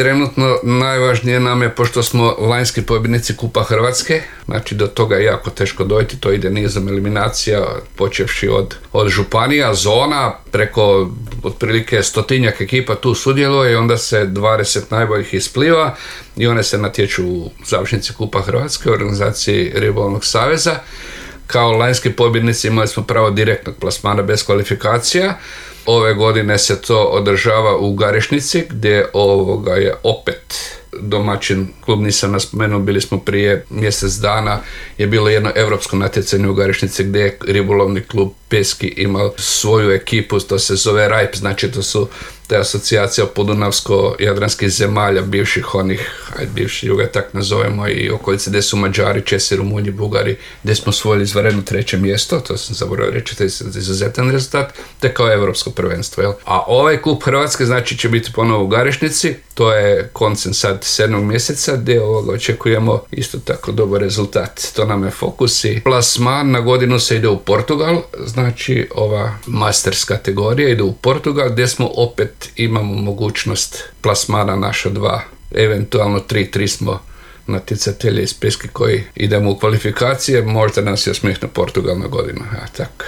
Trenutno najvažnije nam je, pošto smo lanjski pobjednici Kupa Hrvatske, znači do toga je jako teško dojти, to ide nizom eliminacija, počevši od županija, zona, preko otprilike 100-tinjak ekipa tu sudjeluje i onda se 20 najboljih ispliva i one se natječu u završnici Kupa Hrvatske u organizaciji Ribolovnog saveza. Kao lanjski pobjednici imali smo pravo direktnog plasmana bez kvalifikacija. Ove godine se to održava u Garešnici, gdje je opet domaćin klub, nisam naspomenuo, bili smo prije mjesec dana, je bilo jedno europsko natjecanje u Garešnici gdje je ribolovni klub Peski imao svoju ekipu, to se zove RAIP, znači to su te asocijacija podunavsko-jadranskih zemalja, bivši juga tak nazovemo, i okolice gdje su Mađari, Česi, Rumunji, Bugari, gdje smo osvojili izvanredno 3. mjesto, to sam zaboravio reći, to je izuzetan rezultat, te kao europsko prvenstvo. Jel? A ovaj klub Hrvatske znači će biti ponovo u Garešnici, to je koncem sad 7. mjeseca, gdje očekujemo isto tako dobar rezultat. To nam je fokus i plasman. Na godinu se ide u Portugal, znači ova Masters kategorija ide u Portugal, gdje smo opet imamo mogućnost plasmana naša 2, eventualno 3 smo natjecatelji iz Peski koji idemo u kvalifikacije, možda nas je osmijehne Portugal na godinu. Ja, tako.